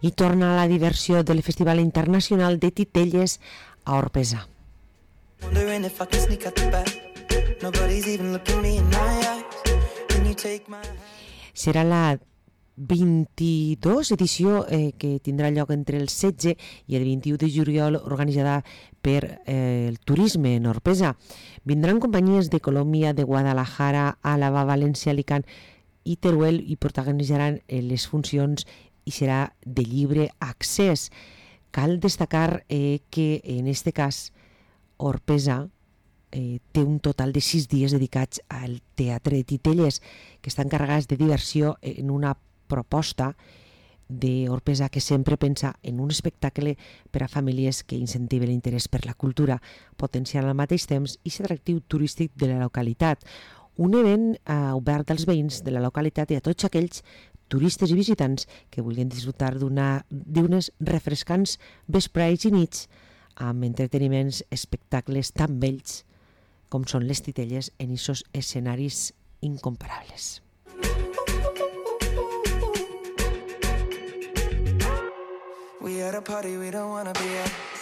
I torna la diversió del Festival Internacional de Titelles a Orpesa. Serà la 22 edició que tindrà lloc entre el 16 i el 21 de juliol, organitzada per el turisme en Orpesa. Vindran companyies de Colòmbia, de Guadalajara, Àlava, València, Alicant i Teruel i protagonitzaran les funcions i serà de lliure accés. Cal destacar que en este cas Orpesa té un total de 6 dies dedicats al Teatre de Titelles, que estan carregats de diversió en una proposta d'Orpesa que sempre pensa en un espectacle per a famílies que incentiven l'interès per la cultura, potenciant al mateix temps i l'atractiu turístic de la localitat. Un event obert als veïns de la localitat i a tots aquells turistes i visitants que vulguin disfrutar d'unes refrescants vesprades i nits amb entreteniments, espectacles tan bells com són les Titelles en aquests escenaris incomparables. We at a party we don't wanna be at.